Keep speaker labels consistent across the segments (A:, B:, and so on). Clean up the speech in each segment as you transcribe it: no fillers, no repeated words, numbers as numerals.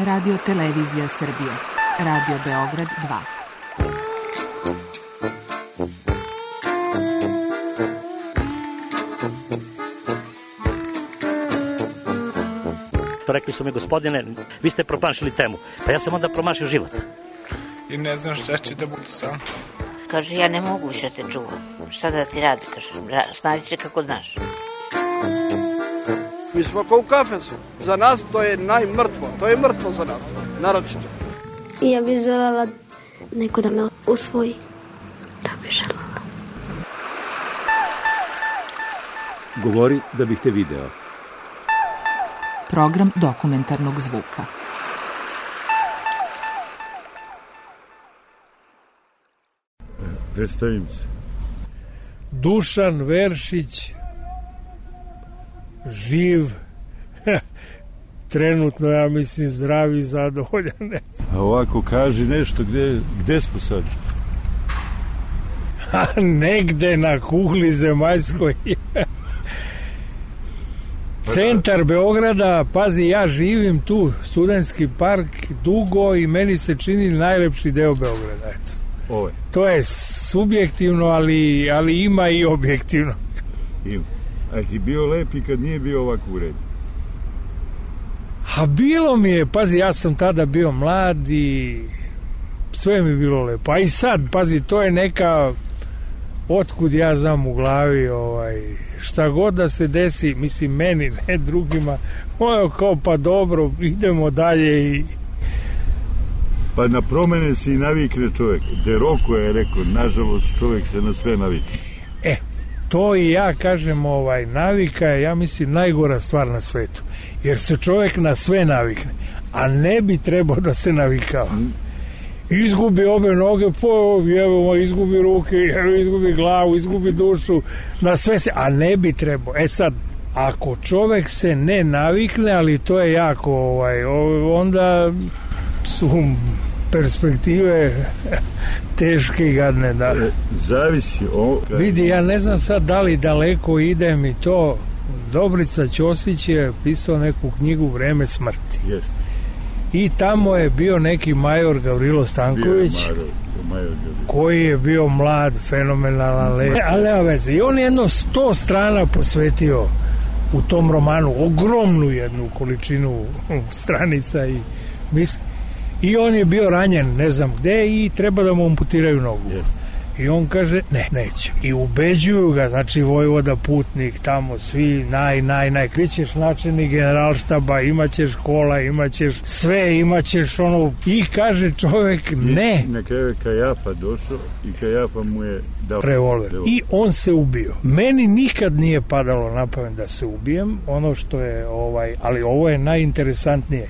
A: Radio Televizija Srbije. Radio Beograd 2.
B: Rekli su mi, gospodine, vi ste promašili temu. Pa ja sam onda promašio život.
C: I ne znam šta će da bude sam.
D: Kaže, ja ne mogu više te čuvam. Šta da ti radi, kaže, snađi se kako znaš.
E: Mi smo kao u kafesu. Za nas to je najmrtvo. To je mrtvo za nas, naročito.
F: Ja bih želela neko da me usvoji. Da bih želela.
G: Govori da bih te video.
A: Program dokumentarnog zvuka.
H: Predstavim se.
I: Dušan Veršić, živ, trenutno, ja mislim, zdrav i zadovoljan.
H: A ovako, kaži nešto, gde smo sad?
I: Negde na kugli zemaljskoj. Centar Beograda, pazi, ja živim tu, Studentski park, dugo i meni se čini najlepši deo Beograda, eto.
H: Ovo je.
I: To je subjektivno, ali ima i objektivno.
H: Ima. A ti bio lep i kad nije bio ovako u redu?
I: A bilo mi je, pazi, ja sam tada bio mlad i sve mi je bilo lepo. A i sad, pazi, to je neka, otkud ja znam u glavi, šta god da se desi, mislim meni, ne drugima, ono kao pa dobro, idemo dalje i...
H: Pa na promene se i navikne čovjek. Deroko je rekao, nažalost čovjek se na sve navikne.
I: To i ja kažem, navika je, ja mislim, najgora stvar na svetu. Jer se čovjek na sve navikne, a ne bi trebao da se navikao. Izgubi obe noge, izgubi ruke, izgubi glavu, izgubi dušu, na sve se, a ne bi trebao. Sad, ako čovjek se ne navikne, ali to je jako, onda su perspektive teške i gadne, da.
H: Zavisi.
I: Vidi, ja ne znam sad da li daleko idem i to. Dobrica Ćosić je pisao neku knjigu Vreme smrti.
H: Jeste.
I: I tamo je bio neki major Gavrilo Stanković, koji je bio mlad, fenomenalan, lep, ali nema veze. I on je jedno 100 strana posvetio u tom romanu, ogromnu jednu količinu stranica i on je bio ranjen, ne znam gde, i treba da mu amputiraju nogu.
H: Yes.
I: I on kaže, neće. I ubeđuju ga, znači vojvoda, putnik, tamo svi, krićeš načelnik generalštaba, imaćeš kola, imaćeš sve, imaćeš ono, i kaže čovjek, ne.
H: I na kraju je Kajafa došao i Kajafa mu je dao
I: revolver. I on se ubio. Meni nikad nije padalo na pamet da se ubijem, ono što je, ali ovo je najinteresantnije.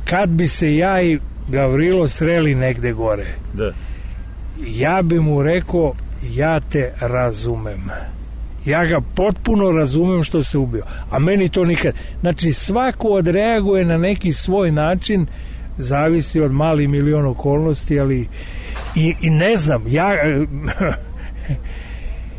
I: Kad bi se ja i Gavrilo sreli negde gore,
H: da,
I: ja bi mu rekao, ja te razumem. Ja ga potpuno razumem što se ubio. A meni to nikad. Znači, svako odreaguje na neki svoj način, zavisi od mali milion okolnosti, ali i ne znam,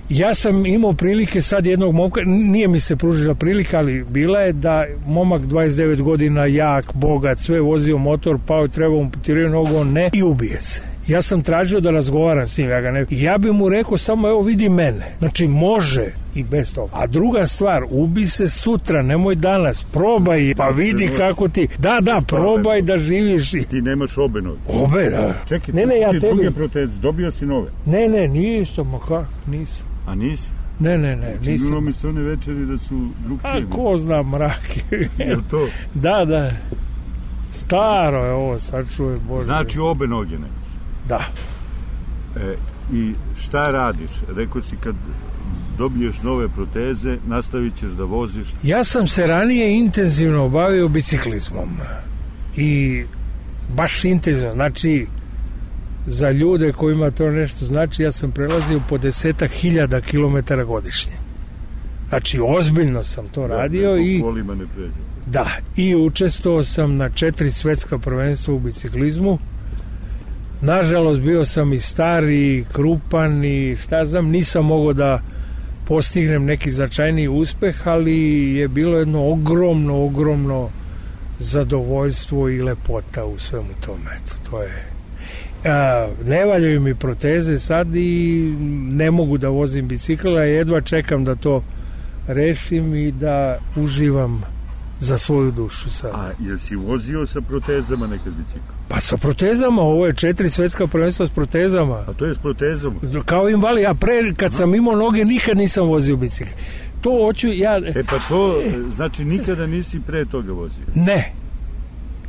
I: ja sam imao prilike sad jednog momka, nije mi se pružila prilika, ali bila je da momak 29 godina, jak, bogat, sve vozio motor, pao, trebao mu potirati nogu, on ne, i ubije se. Ja sam tražio da razgovaram s njim, ja bi mu rekao samo, evo vidi mene. Znači, može i bez toga. A druga stvar, ubi se sutra, nemoj danas, probaj, pa vidi kako ti, da, probaj da živiš.
H: Ti nemaš obe noge.
I: Obe, da.
H: Čekaj,
I: ja
H: tebi druge proteze, dobio si nove?
I: Ne, nisam, nisam.
H: A nisi?
I: Ne, nisam.
H: Činilo mi se one večeri da su drugčije.
I: A ko zna, mrak.
H: Je to?
I: Da. Staro je ovo, sad čuje, Bože.
H: Znači obe noge nemaš?
I: Da.
H: I šta radiš? Rekao si, kad dobiješ nove proteze, nastavit ćeš da voziš? Ja
I: sam se ranije intenzivno bavio biciklizmom. I baš intenzivno. Znači, za ljude kojima to nešto znači, ja sam prelazio po 10.000 kilometara godišnje. Znači, ozbiljno sam to radio i... Da, i učestvovao sam na 4 svetska prvenstva u biciklizmu. Nažalost, bio sam i star i krupan i šta znam, nisam mogao da postignem neki značajniji uspeh, ali je bilo jedno ogromno zadovoljstvo i lepota u svemu tome. Eto, to je. Ne valjaju mi proteze sad i ne mogu da vozim bicikl, a jedva čekam da to rešim i da uživam za svoju dušu sad.
H: A jesi vozio sa protezama nekad bicikl?
I: Pa sa protezama, ovo je 4 svetska prvenstva s protezama.
H: A to je s protezom?
I: Kao invalid, ja pre, kad sam imao noge, nikad nisam vozio bicikl. To hoću ja...
H: Pa to, znači nikada nisi pre toga vozio?
I: Ne.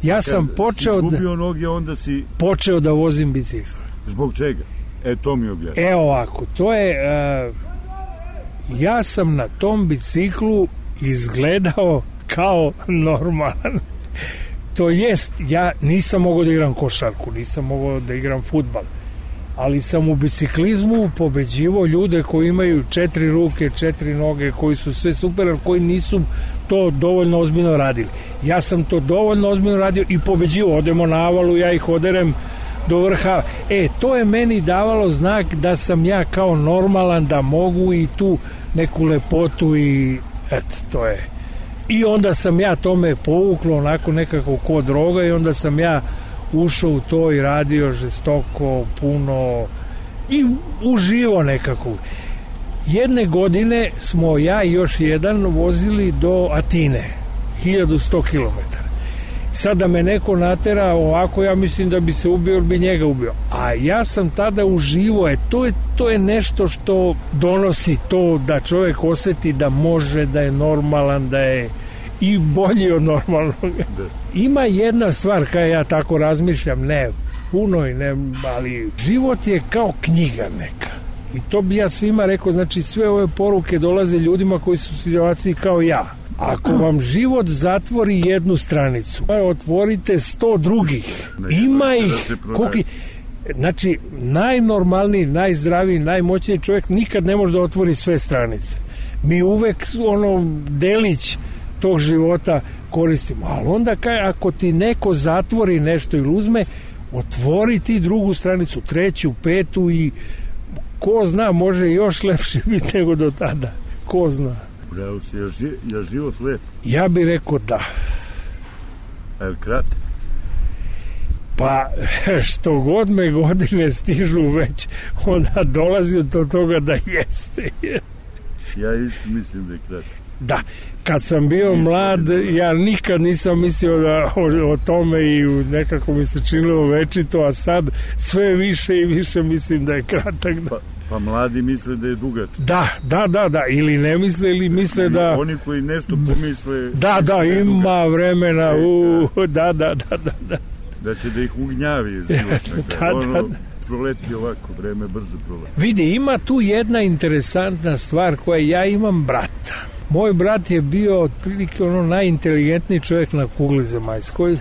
I: Ja sam počeo
H: si izgubio noge, onda si...
I: Počeo da vozim bicikl.
H: Zbog čega? To mi objasni.
I: Evo ovako, to je... ja sam na tom biciklu izgledao kao normalan. To jest, ja nisam mogao da igram košarku, nisam mogao da igram fudbal, ali sam u biciklizmu pobeđivao ljude koji imaju 4 ruke, 4 noge, koji su sve super, ali koji nisu to dovoljno ozbiljno radili. Ja sam to dovoljno ozbiljno radio i pobeđivao. Odemo na avalu, ja ih oderem do vrha. To je meni davalo znak da sam ja kao normalan, da mogu i tu neku lepotu i to je. I onda sam ja tome povuklo onako nekako ko droga i onda sam ja ušao u to i radio žestoko, puno i uživo nekako. Jedne godine smo ja i još jedan vozili do Atine, 1100 km. Sad da me neko natera ovako, ja mislim da bi se ubio ili bi njega ubio. A ja sam tada uživo, to je nešto što donosi to da čovjek osjeti da može, da je normalan, da je i bolji od normalnog. Ima jedna stvar kada ja tako razmišljam, ne puno i ne, ali život je kao knjiga neka. I to bi ja svima rekao, znači sve ove poruke dolaze ljudima koji su u situaciji kao ja. Ako vam život zatvori jednu stranicu, otvorite 100 drugih. Ima ih, znači najnormalniji, najzdraviji, najmoćniji čovjek nikad ne može da otvori sve stranice. Mi uvek delić tog života koristimo, ali onda ako ti neko zatvori nešto ili uzme, otvori ti drugu stranicu, 3., 5. i ko zna, može još lepše biti nego do tada. Ko zna.
H: Bravo si, je život lep?
I: Ja bih rekao da.
H: A je kratak?
I: Pa, što god me godine stižu već, onda dolazi do toga da jeste.
H: Ja isto mislim da je kratak.
I: Da, kad sam bio mlad, ja nikad nisam mislio o tome i nekako mi se činilo večito, a sad sve više i više mislim da je kratak.
H: Pa mladi misle da je dugač.
I: Da, ili ne misle, ili misle da...
H: Oni koji nešto pomisle...
I: Da, ima vremena, da.
H: Da će da ih ugnjavi. Proleti ovako, vreme brzo proleti.
I: Vidi, ima tu jedna interesantna stvar koja ja imam brata. Moj brat je bio otprilike najinteligentniji čovjek na kugli zemaljskoj,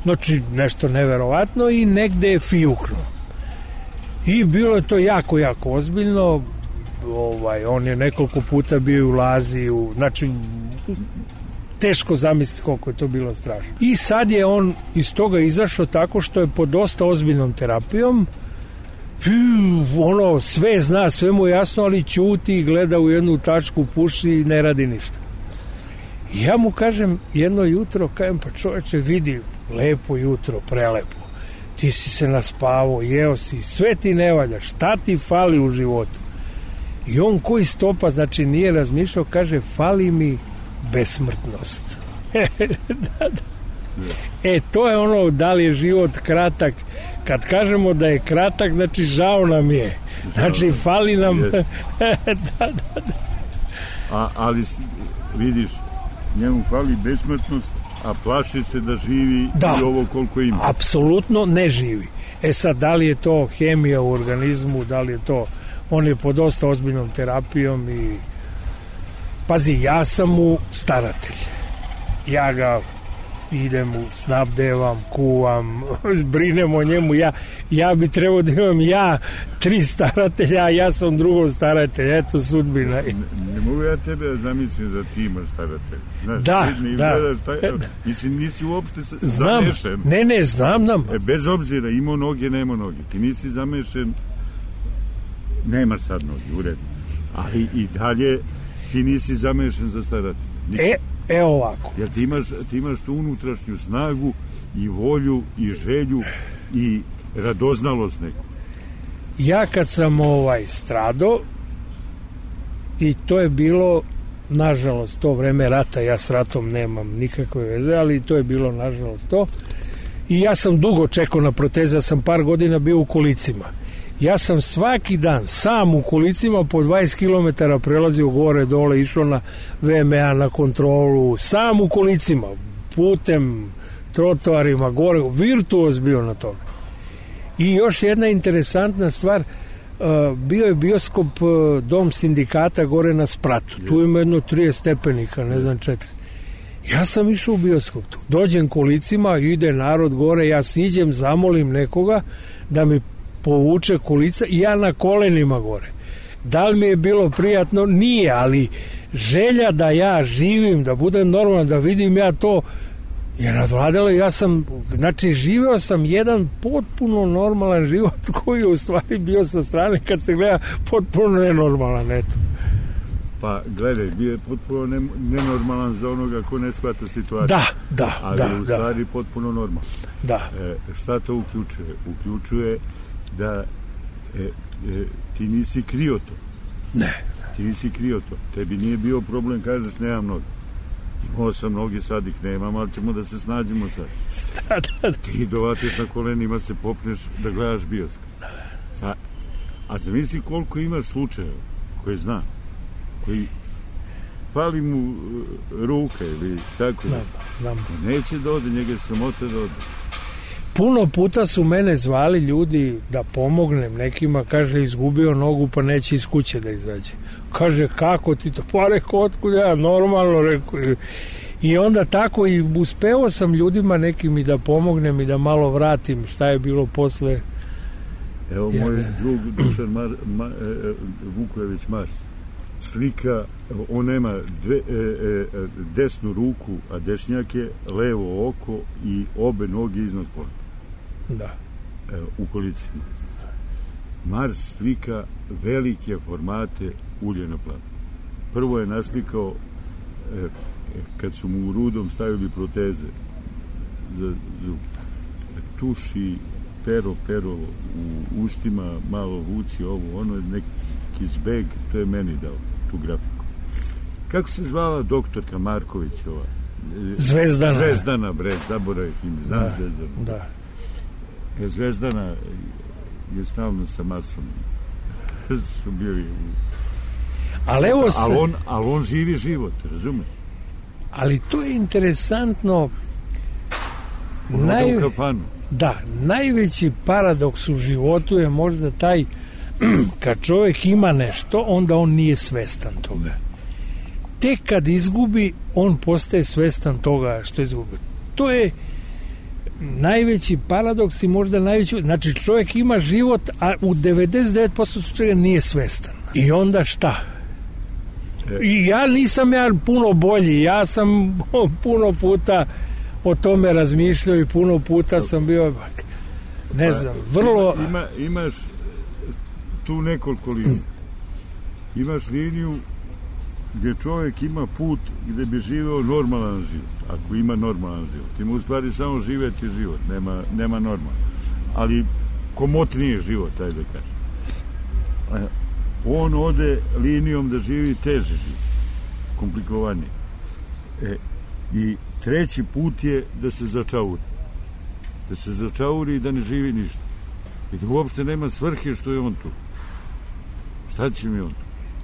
I: znači nešto neverovatno i negde je fijukno. I bilo je to jako, jako ozbiljno. On je nekoliko puta bio u Lazi, znači teško zamisliti koliko je to bilo strašno. I sad je on iz toga izašao tako što je pod dosta ozbiljnom terapijom, sve zna, sve mu je jasno, ali ćuti, gleda u jednu tačku, puši i ne radi ništa. I ja mu kažem jedno jutro, pa čoveče, vidi, lepo jutro, prelepo. Ti si se naspavao, jeo si, sve ti ne valja, šta ti fali u životu? I on koji stopa, znači nije razmišljao, kaže, fali mi besmrtnost. Da. To je da li je život kratak. Kad kažemo da je kratak, znači žao nam je. Znači fali nam... Da.
H: Ali vidiš, njemu fali besmrtnost, a plaši se da živi i ovo koliko ima.
I: Apsolutno ne živi. Sad, da li je to hemija u organizmu, da li je to... On je pod dosta ozbiljnom terapijom i... Pazi, ja sam mu staratelj. Ja ga idem u snabdevam, kuvam, brinem o njemu. Ja bi trebao da imam 3 staratelja, a ja sam drugo staratelj. Eto sudbina.
H: Ne mogu ja tebe zamislim da ti imaš staratelj. Znaš,
I: da.
H: Nisi uopšte zamešen.
I: Ne, znam.
H: Bez obzira, imao noge, nema noge. Ti nisi zamešen, nemaš sad noge, u redu. Ali i dalje ti nisi zamešen za staratelj.
I: Ovako.
H: Jer ti imaš tu unutrašnju snagu i volju i želju i radoznalost neku.
I: Ja kad sam stradao, i to je bilo, nažalost, to vreme rata, ja s ratom nemam nikakve veze, ali to je bilo, nažalost, to. I ja sam dugo čekao na proteze, ja sam par godina bio u kolicima. Ja sam svaki dan sam u kolicima po 20 km prelazio gore, dole, išao na VMA, na kontrolu, sam u kolicima, putem, trotoarima, gore, virtuoz bio na tome. I još jedna interesantna stvar, bio je bioskop Dom sindikata gore na Spratu. Tu ima jedno 30 stepenika, ne znam 4. Ja sam išao u bioskop tu. Dođem kolicima, ide narod gore, ja siđem, zamolim nekoga da mi povuče kolica i ja na kolenima gore. Da li mi je bilo prijatno? Nije, ali želja da ja živim, da budem normalan, da vidim ja to je razvladalo. Ja sam, znači, živeo sam jedan potpuno normalan život koji je u stvari bio sa strane, kad se gleda, potpuno nenormalan, eto.
H: Pa, gledaj, bio je potpuno nenormalan za onoga ko ne shvata situaciju. Ali u stvari potpuno normalan.
I: Da.
H: Šta to uključuje? Uključuje da ti nisi krio to.
I: Ne.
H: Ti nisi krio to. Tebi nije bio problem, kažeš, nemam noge. Imao sam noge, sad ih nemam, ali ćemo da se snađemo sad. Ti dovatiš na kolenima, se popneš da gledaš bioskop. A zamisli koliko imaš slučajeva koje zna, koji fali mu ruka ili tako.
I: Znam.
H: Neće da ode, njega je sramota da ode.
I: Puno puta su mene zvali ljudi da pomognem nekima, kaže, izgubio nogu pa neće iz kuće da izađe. Kaže, kako ti to? Pa rekao, otkud ja, normalno, rekao. I onda tako i uspeo sam ljudima nekim i da pomognem i da malo vratim šta je bilo posle.
H: Evo moj drug Dušan Vukojević Mars, slika, on nema desnu ruku, a dešnjak je levo oko i obe noge iznad kolena.
I: Da.
H: U kolicima. Mars slika velike formate ulje na planu. Prvo je naslikao kad su mu u Rudom stavili proteze za zub. Tuš i pero u ustima, malo vuci ovo, ono je neki zbeg, to je meni dao tu grafiku. Kako se zvala doktorka Marković ova? Zvezdana, bre, zaboravim ime, znam Zvezdana.
I: Da.
H: Zvezdana je stalno sa Marsom. Su bili... Ali on živi život, razumeš?
I: Ali to je interesantno.
H: U kafanu.
I: Da, najveći paradoks u životu je možda taj kad čovjek ima nešto, onda on nije svestan toga. Tek kad izgubi, on postaje svestan toga što izgubi. To je najveći paradoks i možda najveći... Znači, čovjek ima život, a u 99% slučaja nije svestan. I onda šta? I ja nisam puno bolji. Ja sam puno puta o tome razmišljao i puno puta sam bio... Ne znam, vrlo...
H: Imaš tu nekoliko linija. Imaš liniju gdje čovjek ima put gdje bi živeo normalan život. Ako ima normalan život. Ima u stvari samo živeti život. Nema normalan. Ali komotniji život, ajde kažem. On ode linijom da živi teži život. Komplikovaniji. I treći put je da se začauri. Da se začauri i da ne živi ništa. I da uopšte nema svrhe što je on tu. Šta će mi on tu?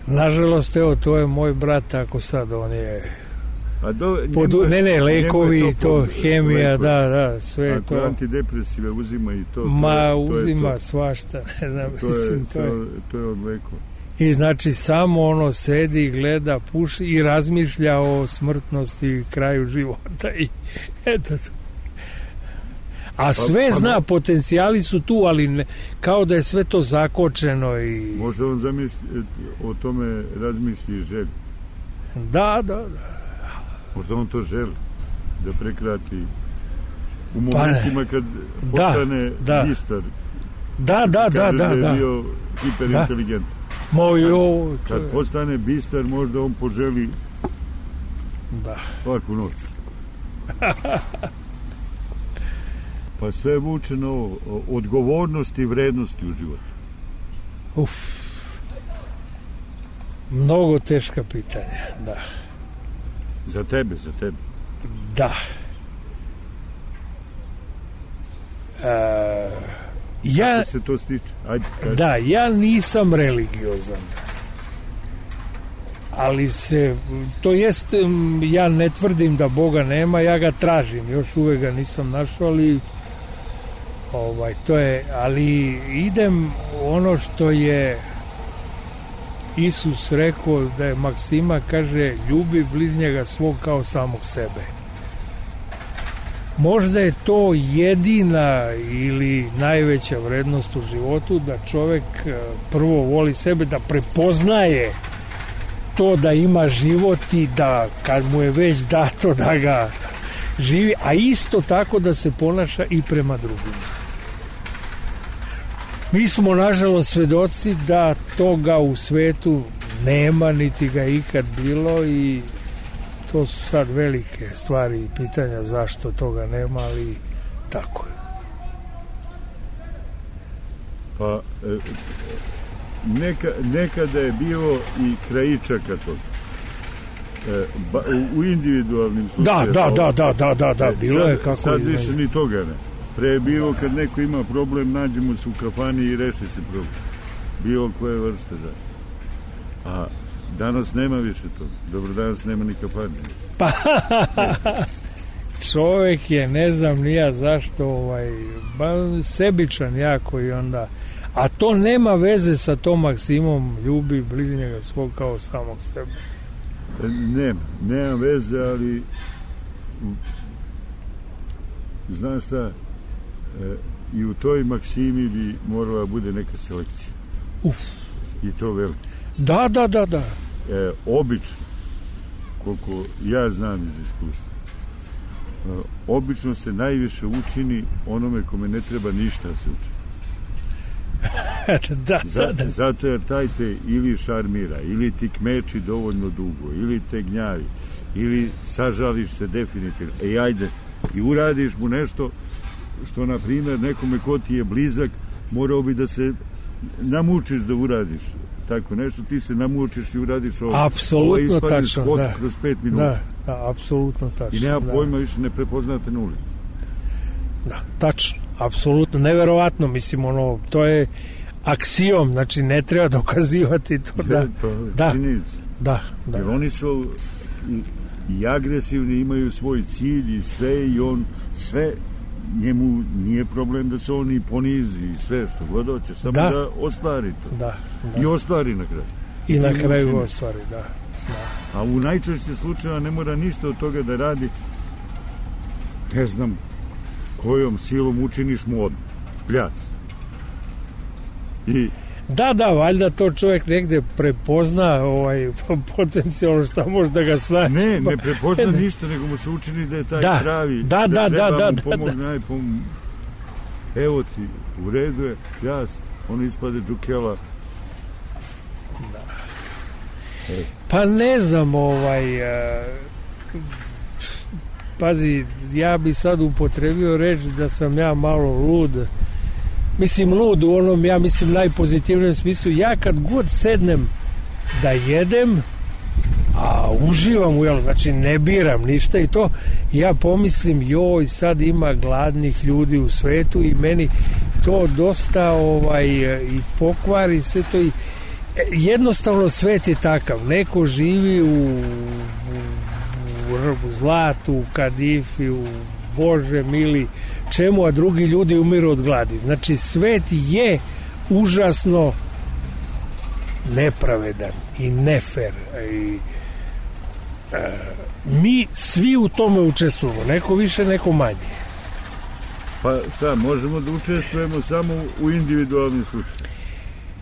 I: Nažalost, evo, to je moj brat, tako sad, on je... lekovi, to, hemija, lekovi. Da, sve je to.
H: Ako antidepresive uzima i to...
I: uzima svašta, ne znam,
H: to je od lekova.
I: I znači, samo ono sedi, gleda, puši i razmišlja o smrtnosti i kraju života i eto to. A sve zna, potencijali su tu, ali kao da je sve to zakočeno i...
H: Možda on o tome razmisli i želi.
I: Da.
H: Možda on to želi, da prekrati u momentima kad postane bistar.
I: Da.
H: Kaže da je bio hiperinteligent. Kad postane bistar, možda on poželi
I: Da.
H: Svaku noć. Pa sve vuče na ovo, odgovornosti i vrednosti u životu.
I: Mnogo teška pitanja, da.
H: Za tebe.
I: Da.
H: Kako se to stiče? Ajde, kaži.
I: Da, ja nisam religiozan. Ali to jest, ja ne tvrdim da Boga nema, ja ga tražim, još uvek ga nisam našao, ali to je, ali idem ono što je Isus rekao, da je maksima, kaže, ljubi bližnjega svog kao samog sebe. Možda je to jedina ili najveća vrednost u životu, da čovek prvo voli sebe, da prepoznaje to da ima život i da kad mu je već dato da ga živi, a isto tako da se ponaša i prema drugima. Mi smo nažalost svedoci da toga u svetu nema, niti ga ikad bilo, i to su sad velike stvari i pitanja zašto toga nema, ali tako je.
H: Pa nekada je bilo i krajičaka toga. U individualnim slučajima.
I: Da, bilo je kako.
H: Sad više ni toga ne. Pre je bilo kad neko ima problem, nađemo se u kafani i reši se problem. Bilo koje vrste, da. A danas nema više toga. Dobro, danas nema ni kafani.
I: Pa, čovek je, ne znam ni ja zašto, sebičan jako i onda... A to nema veze sa tom maksimom ljubi bližnjega svog kao samog sebe.
H: Nema veze, ali znaš šta, i u toj maksimi bi morala bude neka selekcija. I to veliko.
I: Da.
H: Obično, koliko ja znam iz iskustva, obično se najviše učini onome kome ne treba ništa da se uči.
I: Da.
H: Zato jer taj te ili šarmira, ili ti kmeči dovoljno dugo, ili te gnjavi, ili sažališ se definitivno. Ajde, i uradiš mu nešto što, na primjer, nekome ko ti je blizak, morao bi da se namučiš da uradiš tako nešto, ti se namučiš i uradiš ovo.
I: Apsolutno tačno, da.
H: Kroz 5 minuta.
I: Da, apsolutno tačno.
H: I nema pojma, više ne prepoznate na ulici.
I: Da, tačno, apsolutno, neverovatno, mislim, to je aksiom, znači ne treba dokazivati to, da.
H: Činjenica.
I: Da.
H: Jer oni su i agresivni, imaju svoj cilj i sve, i on sve, njemu nije problem da se on i ponizi i sve što god hoće, samo da ostvari to.
I: Da.
H: I ostvari na kraju.
I: I na kraju ostvari, da.
H: A u najčešće slučajeva ne mora ništa od toga da radi, ne znam kojom silom učiniš mu odmah. Pljac. I
I: Da, valjda to čovjek negde prepozna potencijalno šta može da ga snaći.
H: Ne prepozna ništa, nego mu se učini da je taj pravi, da treba mu pomogne, evo ti, u redu je, pljas, on ispade džukela.
I: Pa ne znam, pazi, ja bi sad upotrebio reč da sam ja malo lud. Mislim, lud u onom, ja mislim, najpozitivnijem smislu. Ja kad god sednem da jedem, a uživam u jelu, znači ne biram ništa i to, ja pomislim, joj, sad ima gladnih ljudi u svetu i meni to dosta i pokvari se to i jednostavno svet je takav. Neko živi u zlatu, u kadifi, u Bože mili čemu, a drugi ljudi umiru od gladi. Znači, svet je užasno nepravedan i nefer. Mi svi u tome učestvujemo. Neko više, neko manje.
H: Pa šta, možemo da učestvujemo samo u individualnim slučajima.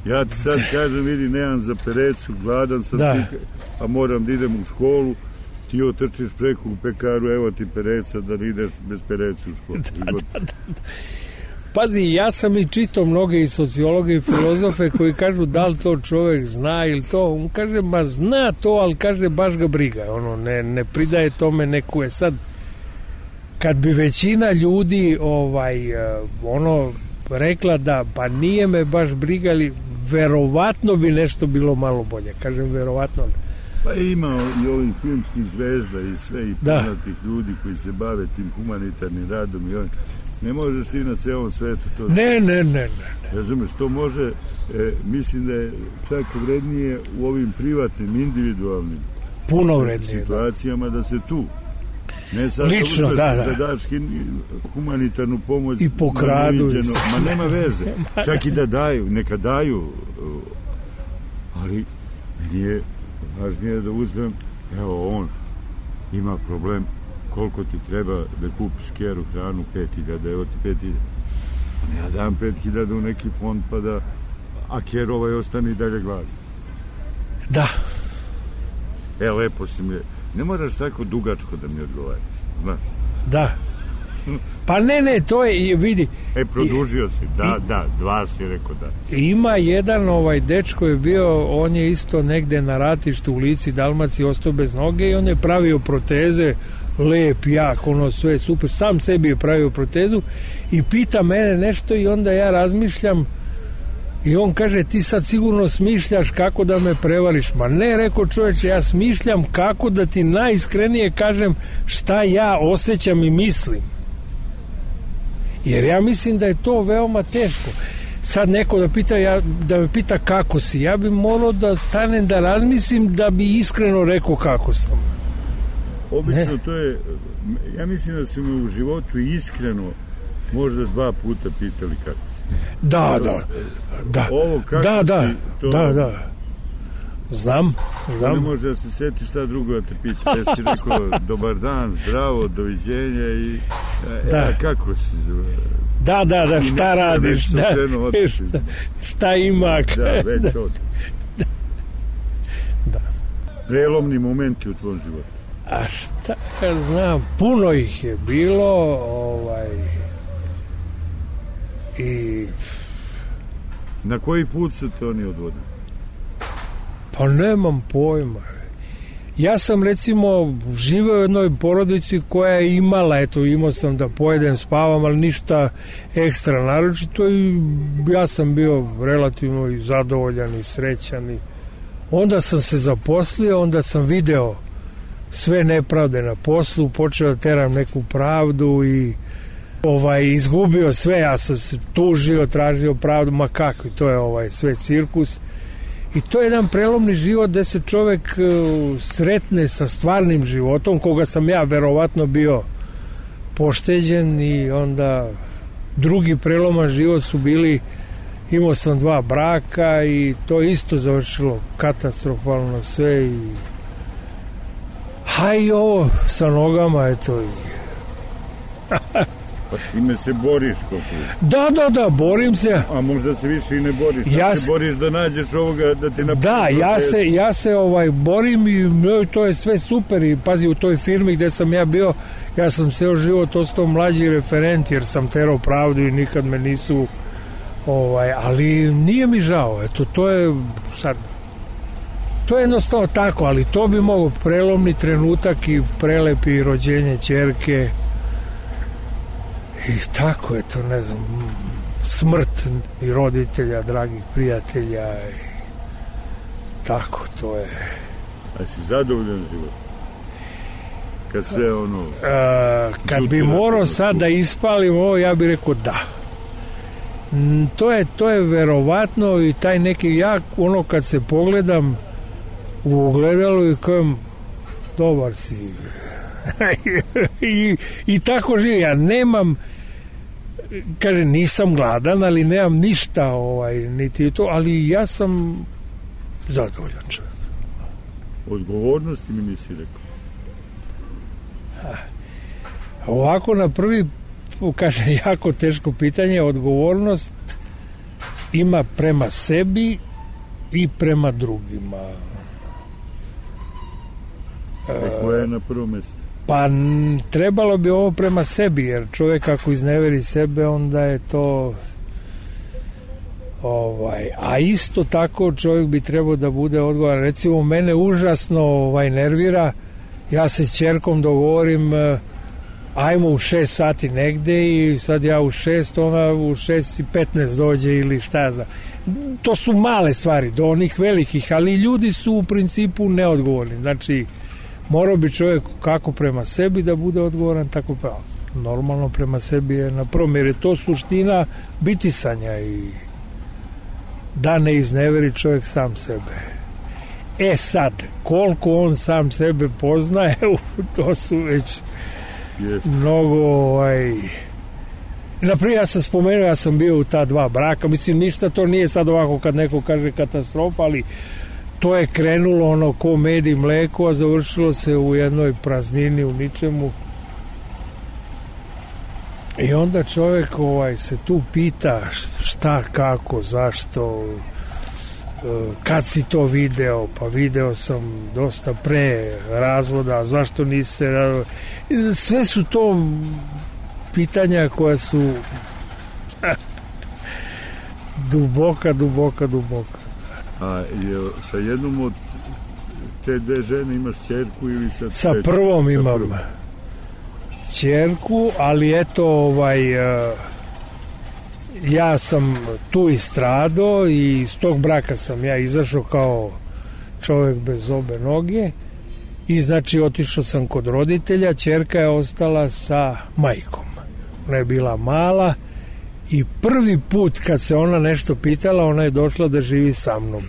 H: Ja ti sad kažem, vidi, nemam za perecu, gladan sam, a moram da idem u školu, ti otrčiš preko u pekaru, evo ti pereca, da ideš bez pereca u školu.
I: Pazi, ja sam i čitao mnoge i sociologe i filozofe koji kažu da li to čovjek zna ili to. On kaže, ma zna to, ali kaže baš ga briga. Ono, ne pridaje tome neku. Sad, kad bi većina ljudi rekla da pa nije me baš briga, ali verovatno bi nešto bilo malo bolje. Kažem, verovatno.
H: Pa ima i ovih filmskih zvezda i sve i poznatih ljudi koji se bave tim humanitarnim radom i ne možeš ti na celom svetu to...
I: Ne.
H: Razumeš, to može, mislim da je čak vrednije u ovim privatnim, individualnim
I: puno vrednije
H: situacijama da se tu ne sad
I: lično,
H: da daš humanitarnu pomoć
I: i pokradu
H: ma nema veze, čak i da daju, neka daju, ali meni je važnije da uzmem, evo on ima problem, koliko ti treba da kupiš keru hranu, 5.000, evo ti 5.000. Ja dam 5.000 u neki fond pa da, a ker ostane i dalje gladan.
I: Da.
H: Lepo si mi, ne moraš tako dugačko da mi odgovaraš, znaš.
I: Da. Pa ne, to je, vidi.
H: Produžio si, da, 2 si rekao da.
I: Ima jedan dečko je bio, on je isto negde na ratištu u Lici, Dalmaciji, ostao bez noge i on je pravio proteze, lep, jak, sve super, sam sebi je pravio protezu i pita mene nešto i onda ja razmišljam i on kaže, ti sad sigurno smišljaš kako da me prevariš. Ma ne, rekao čoveče, ja smišljam kako da ti najiskrenije kažem šta ja osjećam i mislim. Jer ja mislim da je to veoma teško. Sad neko da me pita kako si, ja bi morao da stanem da razmislim da bi iskreno rekao kako sam.
H: Obično to je, ja mislim da su me u životu iskreno možda 2 puta pitali kako si.
I: Da.
H: Ovo kako si, to...
I: Da. Znam.
H: Ne može da se seti šta drugo da te pita. Ja ti rekao, dobar dan, zdravo, doviđenja i kako si?
I: Da, šta radiš? Šta ima?
H: Da, već od. Da. Prelomni momenti u tvojom životu.
I: A šta ja znam, puno ih je bilo, i...
H: Na koji put se to oni odvodili?
I: Pa nemam pojma. Ja sam recimo živeo u jednoj porodici koja je imala, imao sam da pojedem, spavam, ali ništa ekstra naročito i ja sam bio relativno i zadovoljan i srećan. Onda sam se zaposlio, onda sam video sve nepravde na poslu, počeo da teram neku pravdu i izgubio sve, ja sam se tužio, tražio pravdu, ma kako, to je sve cirkus. I to je jedan prelomni život gde se čovek sretne sa stvarnim životom, koga sam ja verovatno bio pošteđen i onda drugi preloman život su bili, imao sam 2 braka i to isto završilo katastrofalno sve i i ovo sa nogama, eto.
H: Pa s time se boriš koliko?
I: Da, borim se.
H: A možda se više i ne boriš. Se boriš da nađeš ovoga, da ti napiši.
I: Da, ja se borim i to je sve super. I pazi, u toj firmi gde sam ja bio, ja sam ceo život ostao mlađi referent, jer sam terao pravdu i nikad me nisu ali nije mi žao. Eto, to je sad, to je jednostavno tako, ali to bi mogo prelomni trenutak i prelepi rođenje ćerke. I tako je to, ne znam, smrt i roditelja, dragih prijatelja i tako, to je.
H: A si zadovoljan život? Kad sve
I: kad bi morao sad da ispalim ovo, ja bih rekao da. To je verovatno i taj neki, kad se pogledam u ogledalu i kažem, dobar si. I tako živim. Ja nemam, kaže, nisam gladan, ali nemam ništa niti to, ali ja sam zadovoljan čovjek.
H: Odgovornosti mi nisi rekao?
I: Ovako na prvi, kaže, jako teško pitanje. Odgovornost ima prema sebi i prema drugima.
H: Koja je na prvo mjesto?
I: Pa trebalo bi ovo prema sebi, jer čovjek ako izneveri sebe, onda je to a isto tako čovjek bi trebao da bude odgovoran. Recimo, mene užasno nervira, ja se s ćerkom dogovorim ajmo u 6 sati negde i sad ja u 6, ona u 6:15 dođe ili šta znam. To su male stvari, do onih velikih, ali ljudi su u principu neodgovorni. Znači, morao bi čovjek kako prema sebi da bude odgovoran, tako normalno prema sebi je na prvom, jer je to suština bitisanja i da ne izneveri čovjek sam sebe. Sad, koliko on sam sebe poznaje, to su već mnogo Naprijed ja sam spomenuo, ja sam bio u ta 2 braka, mislim ništa to nije sad ovako kad neko kaže katastrofa, ali to je krenulo ko med i mleko, a završilo se u jednoj praznini, u ničemu. I onda čovjek se tu pita šta, kako, zašto, kad si to video, pa video sam dosta pre razvoda, zašto nisi sve su to pitanja koja su duboka.
H: A sa jednom od te 2 žene imaš ćerku ili
I: sa prvom imam ćerku, ali eto ja sam tu istrado i iz tog braka sam ja izašao kao čovjek bez obe noge i znači otišao sam kod roditelja, ćerka je ostala sa majkom. Ona je bila mala i prvi put kad se ona nešto pitala, ona je došla da živi sa mnom.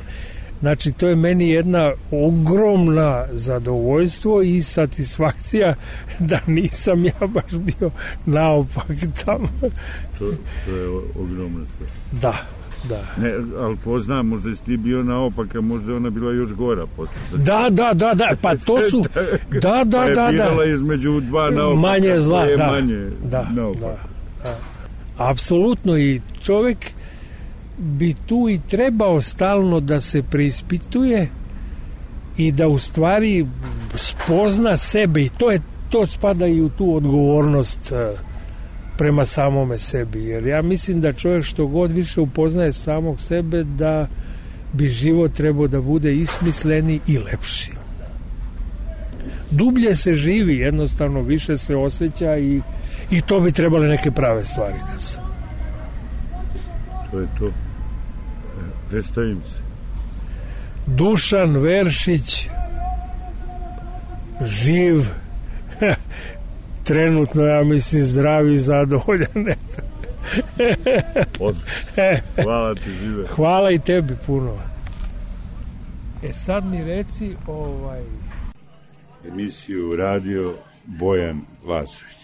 I: Znači, to je meni jedna ogromna zadovoljstvo i satisfakcija da nisam ja baš bio naopak tamo.
H: To je ogromna stvar.
I: Da.
H: Ne, ali poznam, možda si ti bio naopak, a možda je ona bila još gora posle.
I: Da, pa to su... Da.
H: Pa je birala između 2 naopaka.
I: Manje zla,
H: da.
I: Apsolutno, i čovjek bi tu i trebao stalno da se preispituje i da u stvari spozna sebe, i to spada i u tu odgovornost prema samome sebi, jer ja mislim da čovjek što god više upoznaje samog sebe, da bi život trebao da bude i smisleniji i lepši. Dublje se živi, jednostavno više se osjeća i to bi trebale neke prave stvari da su.
H: To je to. Predstavim se.
I: Dušan Veršić, živ, trenutno, ja mislim, zdrav i zadovoljan.
H: Hvala ti, žive.
I: Hvala i tebi puno. Sad mi reci
H: emisiju radio Bojan Vasović.